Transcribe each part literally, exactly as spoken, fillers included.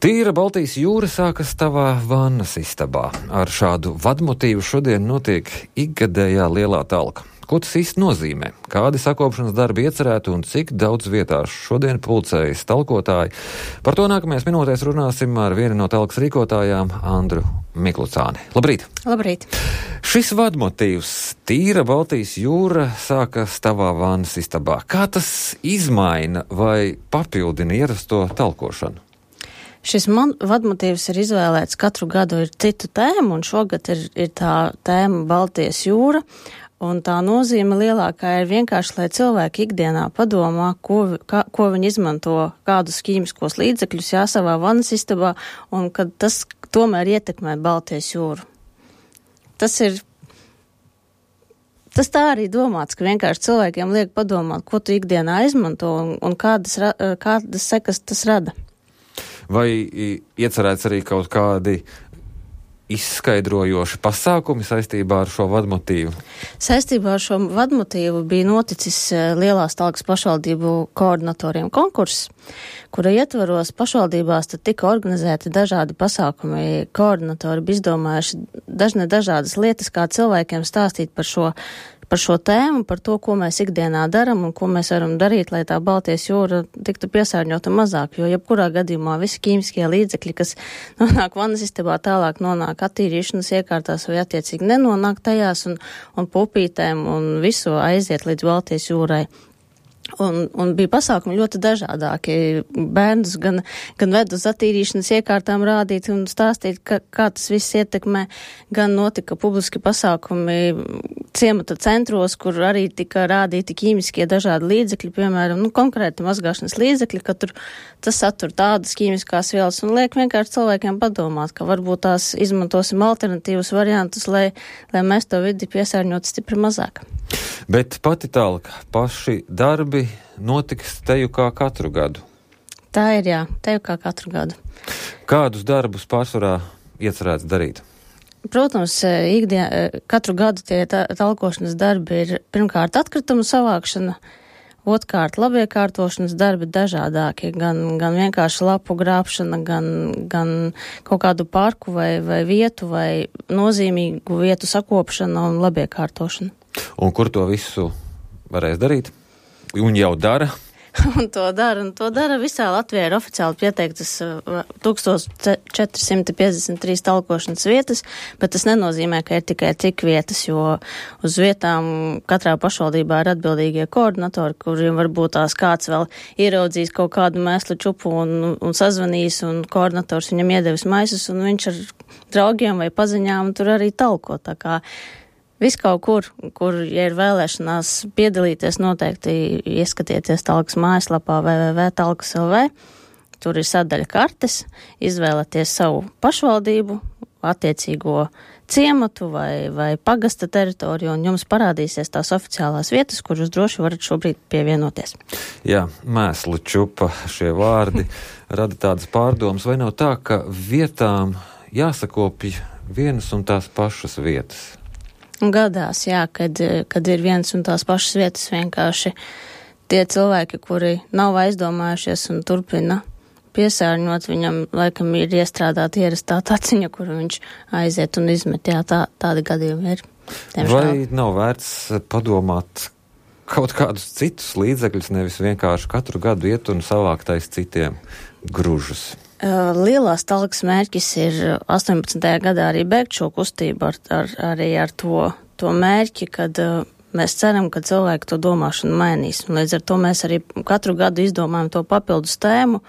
Tīra Baltijas jūra sākas tavā vannas istabā. Ar šādu vadmotīvu šodien notiek ikgadējā lielā talka. Ko tas īsti nozīmē? Kādi sakopšanas darbi iecerēti un cik daudz vietās šodien pulcējas talkotāji? Par to nākamajās minūtēs runāsim ar vienu no talkas rīkotājām, Andru Miklucāni. Labrīt! Labrīt! Šis vadmotīvs Tīra Baltijas jūra sākas tavā vannas istabā. Kā tas izmaina vai papildina ierasto talkošanu? Šis man, vadmotīvs ir izvēlēts katru gadu ir citu tēmu, un šogad ir, ir tā tēma Baltijas jūra, un tā nozīme lielākā ir vienkārši, lai cilvēki ikdienā padomā, ko, kā, ko viņi izmanto, kādus ķīmiskos līdzekļus jā savā vannas istabā, un kad tas tomēr ietekmē Baltijas jūru. Tas ir, tas tā arī domāts, ka vienkārši cilvēkiem liek padomāt, ko tu ikdienā izmanto, un, un kādas, kādas sekas tas rada. Vai iecerēts arī kaut kādi izskaidrojoši pasākumi saistībā ar šo vadmotīvu? Saistībā ar šo vadmotīvu bija noticis Lielās Talkas pašvaldību koordinatoriem konkurss, kura ietvaros pašvaldībās tad tika organizēti dažādi pasākumi. Koordinatori bija izdomājuši dažne dažādas lietas, kā cilvēkiem stāstīt par šo par šo tēmu, par to, ko mēs ikdienā daram un ko mēs varam darīt, lai tā Baltijas jūra tiktu piesārņota mazāk, jo jebkurā gadījumā visi ķīmiskie līdzekļi, kas nonāk vannas istabā, tālāk nonāk attīrīšanas iekārtās vai attiecīgi nenonāk tajās un, un pupītēm un visu aiziet līdz Baltijas jūrai. Un, un bija pasākumi ļoti dažādāki. Bērnus gan, gan ved uz attīrīšanas iekārtām rādīt un stāstīt, ka, kā tas viss ietekmē. Gan notika publiski pasākumi ciemata centros, kur arī tika rādīti ķīmiskie dažādi līdzekļi, piemēram, nu, konkrēti mazgāšanas līdzekļi, ka tur tas satur tādas ķīmiskās vielas un liek vienkārši cilvēkiem padomāt, ka varbūt tās izmantosim alternatīvus variantus, lai, lai mēs to vidi piesārņot stipri mazāk. Bet pati talka, paši darbi notiks teju kā katru gadu? Tā ir, jā, teju kā katru gadu. Kādus darbus pārsvarā iecerēts darīt? Protams, ikdien, katru gadu tie talkošanas darbi ir pirmkārt atkritumu savākšana, otrkārt labiekārtošanas darbi dažādākie, gan, gan vienkārši lapu grābšana, gan, gan kaut kādu parku vai, vai vietu vai nozīmīgu vietu sakopšana un labiekārtošana. Un kur to visu varēs darīt? Un jau dara? Un to dara, un to dara visā Latvijā ir oficiāli pieteiktas tūkstoš četri simti piecdesmit trīs talkošanas vietas, bet tas nenozīmē, ka ir tikai tik vietas, jo uz vietām katrā pašvaldībā ir atbildīgie koordinatori, kuriem varbūt tās kāds vēl ieraudzīs kaut kādu mēslu čupu un, un sazvanīs, un koordinators viņam iedevis maisus, un viņš ar draugiem vai paziņām tur arī talko, tā kā viss kaut kur, kur, ja ir vēlēšanās piedalīties, noteikti ieskatieties talkas mājaslapā w w w punkt talkas punkt l v. Tur ir sadaļa kartes, izvēlaties savu pašvaldību, attiecīgo ciematu vai, vai pagasta teritoriju, un jums parādīsies tās oficiālās vietas, kur jūs droši varat šobrīd pievienoties. Jā, mēslu čupa šie vārdi rada tādas pārdomas, vai nav tā, ka vietām jāsakopja vienas un tās pašas vietas? Gadās, jā, kad, kad ir viens un tās pašas vietas vienkārši tie cilvēki, kuri nav aizdomājušies un turpina piesārņot, viņam laikam ir iestrādāta ierastā taciņa, kuru viņš aiziet un izmet. Jā, tā, tādi gadījumi ir. Tiemžēl. Vai nav vērts padomāt kaut kādus citus līdzekļus, nevis vienkārši katru gadu iet un savākt aiz citiem gružus? Lielās talkas mērķis ir astoņpadsmitajā gadā arī beigt šo kustību ar, ar, arī ar to, to mērķi, kad uh, mēs ceram, ka cilvēki to domāšanu mainīs. Un līdz ar to mēs arī katru gadu izdomājam to papildus tēmu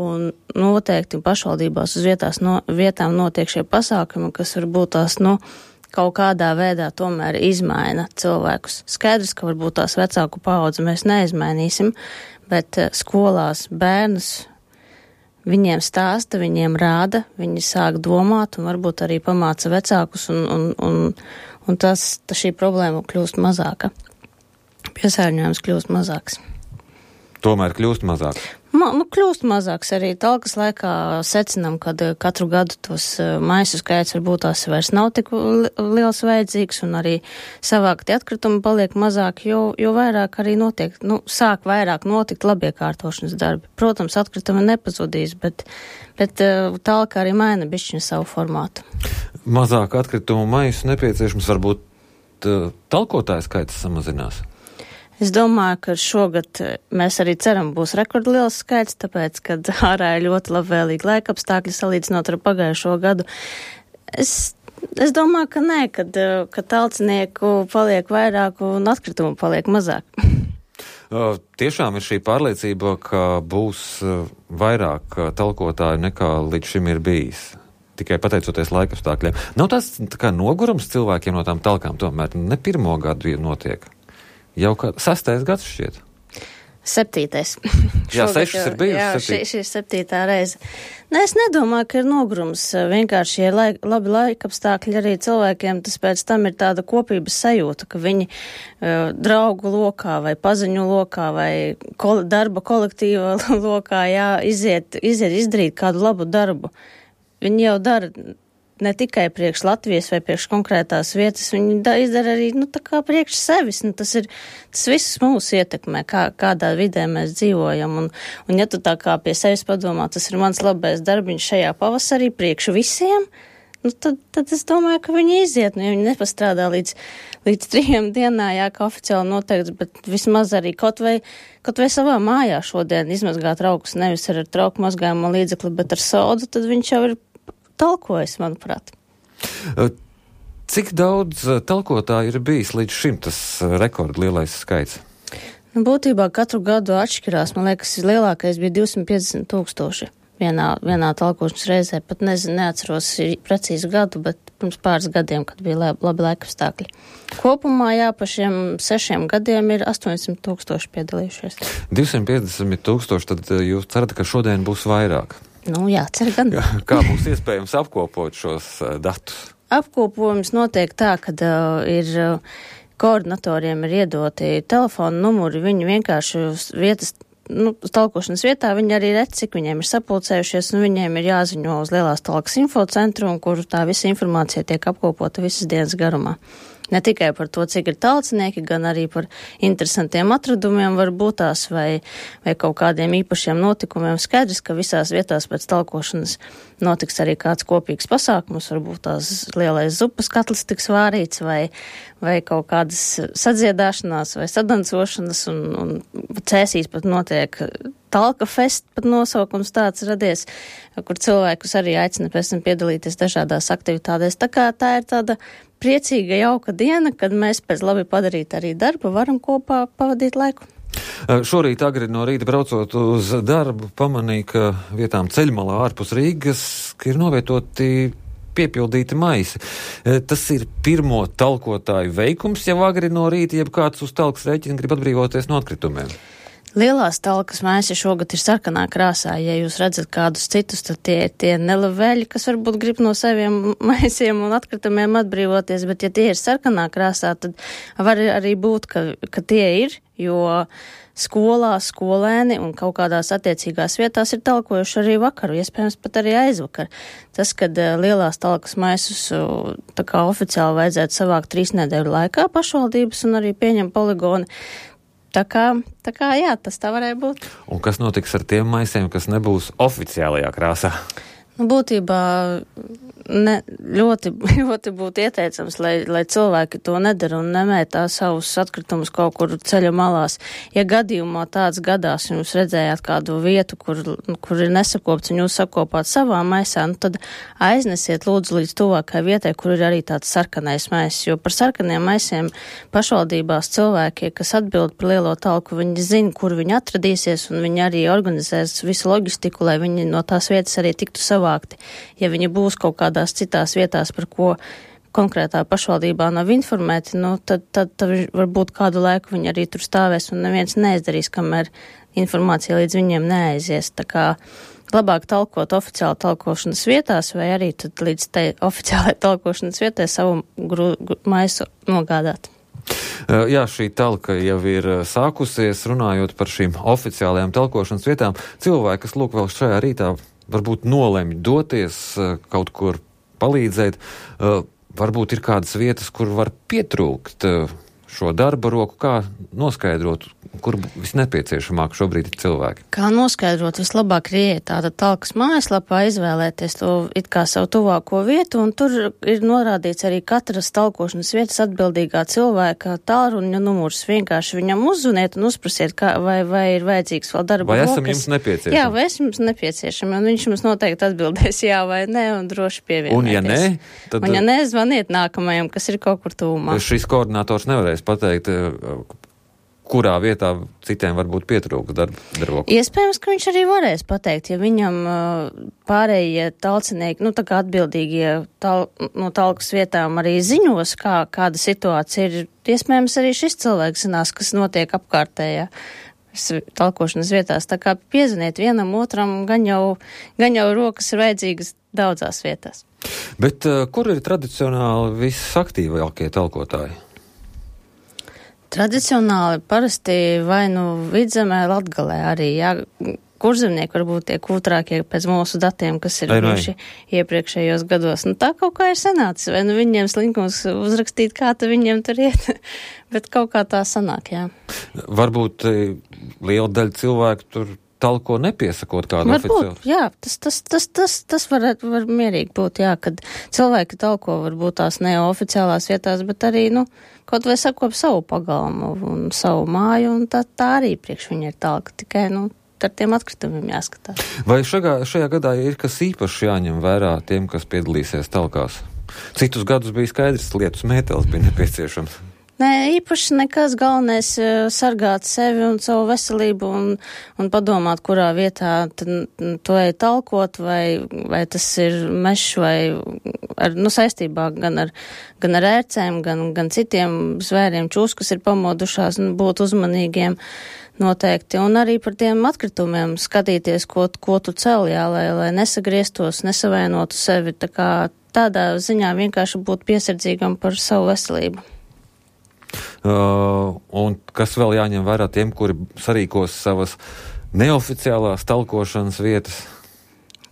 un noteikti pašvaldībās uz vietās no, vietām notiek šie pasākumi, kas varbūt tās, nu, kaut kādā veidā tomēr izmaina cilvēkus. Skaidrs, ka varbūt tās vecāku paudzi mēs neizmainīsim, bet uh, skolās bērnus viņiem stāsta, viņiem rāda, viņi sāk domāt un varbūt arī pamāca vecākus, un, un, un, un tas, tas šī problēma kļūst mazāka. Piesārņojums kļūst mazāks. Tomēr kļūst mazāk? Ma, nu, kļūst mazāks arī talkas laikā secinām, kad katru gadu tos maisu skaits varbūt tās vairs nav tik li liels vajadzīgs un arī savākti atkritumi paliek mazāk, jo, jo vairāk arī notiek, nu, sāk vairāk notikt labiekārtošanas darbi. Protams, atkritumi nepazudīs, bet, bet talka arī maina bišķiņu savu formātu. Mazāk atkritumu maisu nepieciešams, varbūt talkotāju skaits samazinās. Es domāju, ka šogad mēs arī ceram būs rekordliels skaits, tāpēc, kad ārā ir ļoti labvēlīgi laikapstākļi salīdzinot ar pagājušo gadu. Es, es domāju, ka nē, kad, kad talcinieku paliek vairāk un atkritumu paliek mazāk. Tiešām ir šī pārliecība, ka būs vairāk talkotāju nekā līdz šim ir bijis. Tikai pateicoties laikapstākļiem. Nav tas tā kā nogurums cilvēkiem no tām talkām tomēr ne pirmo gadu notiek. Jau kā sastais gads šķiet. Septītais. Jā, sešas ir bijusi. Jā, šī, šī ir septītā reize. Ne, es nedomāju, ka ir nogrums. Vienkārši ir laik, labi laikapstākļi arī cilvēkiem, tas pēc tam ir tāda kopības sajūta, ka viņi uh, draugu lokā vai paziņu lokā vai kol darba kolektīva lokā, jā, iziet, iziet izdarīt kādu labu darbu. Viņi jau dara ne tikai priekš Latvijas vai priekš konkrētās vietas, viņi da, izdara arī, nu, tā kā priekš sevis, nu, tas ir, tas viss mūs ietekmē, kā, kādā vidē mēs dzīvojam, un, un ja tu tā kā pie sevis padomā, tas ir mans labais darbiņš šajā pavasarī priekš visiem, nu, tad, tad es domāju, ka viņi iziet, nu, ja viņi nepastrādā līdz, līdz trījiem dienā, jā, kā oficiāli noteikts, bet vismaz arī kaut vai, kaut vai savā mājā šodien izmazgāt traukus, nevis ar trauku mazgājumu līdzekli, bet ar sodu, tad viņš jau ir talkojas, manuprāt. Cik daudz talkotāju ir bijis līdz šim tas rekordlielais skaits? Nu, būtībā katru gadu atšķirās. Man liekas, lielākais bija divsimt piecdesmit tūkstoši vienā, vienā talkošanas reizē. Pat nezinu, neatceros precīzi gadu, bet pirms pāris gadiem, kad bija labi, labi laikapstākļi. Kopumā, jā, pa šiem sešiem gadiem ir astoņsimt tūkstoši piedalījušies. divsimt piecdesmit tūkstoši, tad jūs cerat, ka šodien būs vairāk? Nu, jā, cer gan. Kā būs iespējams apkopot šos uh, datus? Apkopojums notiek tā, ka uh, ir uh, koordinatoriem ir iedoti telefonu numuri, viņi vienkārši uz vietas, nu, uz talkošanas vietā, viņi arī redz, cik viņiem ir sapulcējušies, un viņiem ir jāziņo uz Lielās talkas infocentru, un kur tā visa informācija tiek apkopota visas dienas garumā. Ne tikai par to, cik ir talcinieki, gan arī par interesantiem atradumiem varbūt tās vai, vai kaut kādiem īpašiem notikumiem. Skaidrs, ka visās vietās pēc talkošanas notiks arī kāds kopīgs pasākums, varbūt tās lielais zupas katls tiks vārīts vai, vai kaut kādas sadziedāšanās vai sadancošanas un, un cēsīs pat notiek Talka fest, pat nosaukums tāds radies, kur cilvēkus arī aicina pēc tam piedalīties dažādās aktivitātēs. Tā kā tā ir tāda priecīga, jauka diena, kad mēs pēc labi padarīt arī darbu varam kopā pavadīt laiku. Šorīt agri no rīta braucot uz darbu, pamanīju, ka vietām ceļmalā ārpus Rīgas ir novietoti piepildīti maisi. Tas ir pirmo talkotāju veikums jau agri no rīta, jeb kāds uz talkas rēķina grib atbrīvoties no atkritumiem. Lielās talkas maisi šogad ir sarkanā krāsā. Ja jūs redzat kādus citus, tad tie ir tie nelaveļi, kas varbūt grib no saviem maisiem un atkritumiem atbrīvoties, bet ja tie ir sarkanā krāsā, tad var arī būt, ka, ka tie ir, jo skolās skolēni un kaut kādās attiecīgās vietās ir talkojuši arī vakaru, iespējams pat arī aizvakar. Tas, kad lielās talkas maisus tā kā oficiāli vajadzētu savākt trīs nedēļu laikā pašvaldības un arī pieņem poligoni, Tā kā, tā kā, jā, tas tā varēja būt. Un kas notiks ar tiem maisiem, kas nebūs oficiālajā krāsā? Nu, būtībā ne, ļoti, ļoti būtu ieteicams, lai, lai cilvēki to nedara un nemētā savus atkritumus kaut kur ceļa malās. Ja gadījumā tāds gadās, un jūs redzējāt kādu vietu, kur, kur ir nesakopts un jūs sakopāt savā maisā, nu tad aiznesiet lūdzu līdz tuvākai vietai, kur ir arī tāds sarkanais maiss, jo par sarkaniem maisiem pašvaldībās cilvēki, kas atbild par lielo talku, viņi zina, kur viņi atradīsies, un viņi arī organizēs visu loģistiku, lai viņi no tās vietas arī tiktu savā. Ja viņi būs kaut kādās citās vietās, par ko konkrētā pašvaldībā nav informēti, nu, tad, tad, tad varbūt kādu laiku viņi arī tur stāvēs un neviens neizdarīs, kamēr informācija līdz viņiem neaizies. Tā kā labāk talkot oficiāli talkošanas vietās vai arī tad līdz tai oficiālai talkošanas vietai savu gru, gru, maisu nogādāt. Jā, šī talka jau ir sākusies, runājot par šīm oficiālajām talkošanas vietām. Cilvēki, kas lūk vēl šajā rītā, varbūt nolemj doties kaut kur palīdzēt, varbūt ir kādas vietas, kur var pietrūkt šo darba roku, kā noskaidrot, kur visnepieciešamāk šobrīd ir cilvēki? Kā noskaidrot, vislabāk ir ieiet tāda talkas mājaslapā, izvēlēties to it kā savu tuvāko vietu, un tur ir norādīts arī katras talkošanas vietas atbildīgā cilvēka tālruņa numurs. Vienkārši viņam uzzuniet un uzprasiet, kā, vai, vai ir vajadzīgs vēl darba vai rokas. Vai esam jums nepieciešami? Jā, vai esam jums nepieciešami, un viņš mums noteikti atbildēs jā vai nē, un droši pievienoties. Un ja nē, tad... Un ja nē, zvaniet nākamajam, kas ir kaut kur tūmā. Šis koordinators nevarēs pateikt, kurā vietā citiem varbūt pietrūks darba roku. Iespējams, ka viņš arī varēs pateikt, ja viņam pārējie talcinieki, nu tā kā atbildīgie tal, no talkas vietām arī ziņos, kā, kāda situācija ir. Iespējams, arī šis cilvēks zinās, kas notiek apkārtējā talkošanas vietās. Tā kā piezvaniet vienam otram, gan jau, gan jau rokas ir vajadzīgas daudzās vietās. Bet uh, kur ir tradicionāli visaktīvākie talkotāji? Tradicionāli parasti vai nu Vidzemē, Latgalē arī, jā, kurzemnieki varbūt tie kūtrākie pēc mūsu datiem, kas ir bijuši iepriekšējos gados. Nu tā kaut kā ir sanācis, vai nu viņiem slinkums uzrakstīt, kā tu viņiem tur iet, bet kaut kā tā sanāk, jā. Varbūt liela daļa cilvēku tur talko nepiesakot kādu oficiālu. Varbūt, jā, tas, tas, tas, tas, tas var, var mierīgi būt, jā, kad cilvēki talko varbūt tās neoficiālās vietās, bet arī, nu, kaut vai sakop savu pagalmu un savu māju, un tā, tā arī priekš viņa ir talka, tikai, nu, ar tiem atkritumiem jāskatās. Vai šajā, šajā gadā ir kas īpaši jāņem vērā tiem, kas piedalīsies talkās? Citus gadus bija skaidrs, lietus mētelis bija nepieciešams. Nē, īpaši nekas, galvenais sargāt sevi un savu veselību un, un padomāt, kurā vietā to ej talkot, vai, vai tas ir mešs vai ar, nu, saistībā gan ar, gan ar ērcēm, gan, gan citiem zvēriem, čūs, kas ir pamodušās, un būt uzmanīgiem noteikti. Un arī par tiem atkritumiem skatīties, ko, ko tu cel, jā, lai, lai nesagrieztos, nesavainotu sevi. Tā kā tādā ziņā vienkārši būt piesardzīgam par savu veselību. Uh, un kas vēl jāņem vērā tiem, kuri sarīkos savas neoficiālās talkošanas vietas?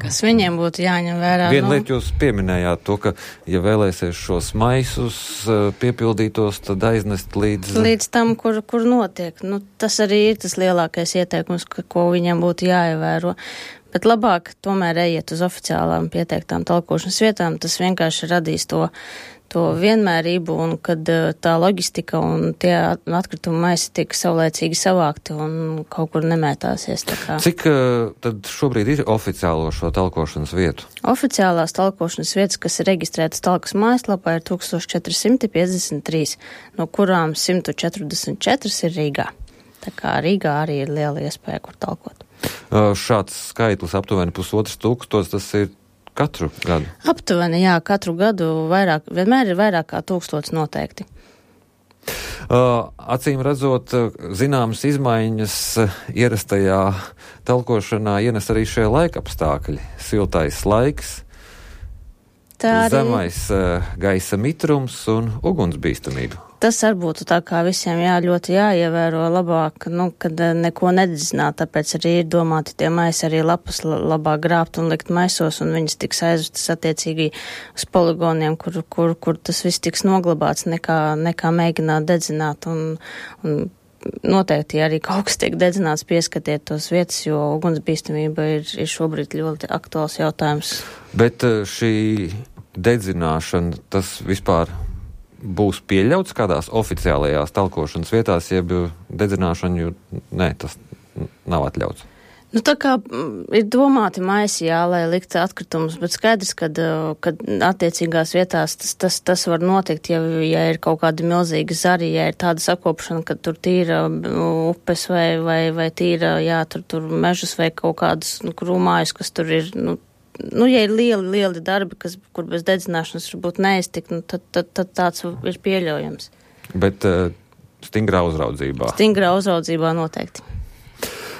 Kas viņiem būtu jāņem vērā? Vienu nu... lietu jūs pieminējāt to, ka, ja vēlēsies šos maisus uh, piepildītos, tad aiznest līdz... Līdz tam, kur, kur notiek. Nu, tas arī ir tas lielākais ieteikums, ka, ko viņiem būtu jāievēro. Bet labāk tomēr ejiet uz oficiālām pieteiktām talkošanas vietām. Tas vienkārši radīs to to vienmērību, un kad tā loģistika un tie atkrituma maisi tiek saulēcīgi savākti un kaut kur nemētāsies. Tā kā. Cik uh, tad šobrīd ir oficiālo šo talkošanas vietu? Oficiālās talkošanas vietas, kas ir reģistrētas talkas mājaslapā, ir tūkstoš četri simti piecdesmit trīs, no kurām simt četrdesmit četras ir Rīgā. Tā kā Rīgā arī ir liela iespēja, kur talkot. Uh, šāds skaitlis aptuveni pusotrs tūkstots, tas ir katru gadu? Aptuveni, jā, katru gadu vairāk, vienmēr ir vairāk kā tūkstots noteikti. Uh, acīm redzot, zināmas izmaiņas ierastajā talkošanā ienes arī šie laikapstākļi. Siltais laiks, arī... zemais uh, gaisa mitrums un ugunsbīstamība. Tas arī būtu tā kā visiem jā, ļoti jāievēro labāk, nu, kad neko nededzināt, tāpēc arī ir domāti tie maisi arī lapas labāk grābt un likt maisos, un viņas tiks aizvestas attiecīgi uz poligoniem, kur, kur, kur tas viss tiks noglabāts, nekā, nekā mēģināt dedzināt, un, un noteikti arī kaut kas tiek dedzināts, pieskatiet tos vietas, jo ugunsbīstamība ir, ir šobrīd ļoti aktuāls jautājums. Bet šī dedzināšana, tas vispār būs pieļauts kādās oficiālajās talkošanas vietās, jeb dedzināšana, jo nē, tas nav atļauts. Nu, tā kā ir domāti maisi, jā, lai likt atkritumus, bet skaidrs, kad, kad attiecīgās vietās tas, tas, tas var notikt, ja, ja ir kaut kāda milzīga zari, ja ir tāda sakopšana, ka tur tīra upes vai, vai, vai tīra, jā, tur, tur mežus vai kaut kādas nu, krūmājus, kas tur ir, nu, Nu, ja ir lieli, lieli darbi, kas, kur bez dedzināšanas varbūt neiztikt, nu, tad, tad, tad tāds ir pieļaujams. Bet uh, stingrā uzraudzībā? Stingrā uzraudzībā noteikti.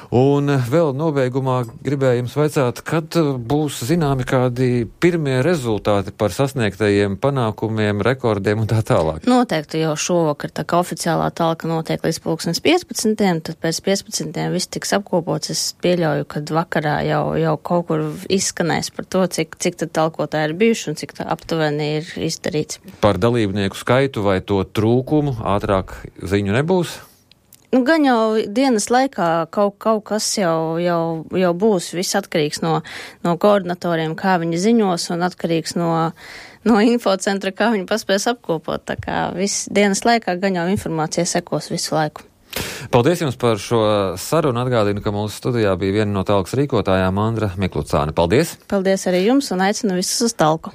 Un vēl nobeigumā gribēju jums vaicāt, kad būs zināmi kādi pirmie rezultāti par sasniegtajiem panākumiem, rekordiem un tā tālāk? Noteikti jau šovakar, tā kā oficiālā talka notiek līdz pulkstens piecpadsmitiem, tad pēc piecpadsmitiem viss tiks apkopots. Es pieļauju, ka vakarā jau, jau kaut kur izskanēs par to, cik, cik tad talkotāji ir bijuši un cik tā aptuveni ir izdarīts. Par dalībnieku skaitu vai to trūkumu ātrāk ziņu nebūs? Nu, gan jau dienas laikā kaut, kaut kas jau, jau, jau būs. Viss atkarīgs no, no koordinatoriem, kā viņi ziņos, un atkarīgs no, no infocentra, kā viņi paspēs apkopot. Tā kā viss dienas laikā gan jau informācija sekos visu laiku. Paldies jums par šo sarunu. Atgādinu, ka mūsu studijā bija viena no talkas rīkotājām Andra Miklucāne. Paldies! Paldies arī jums un aicinu visus uz talku.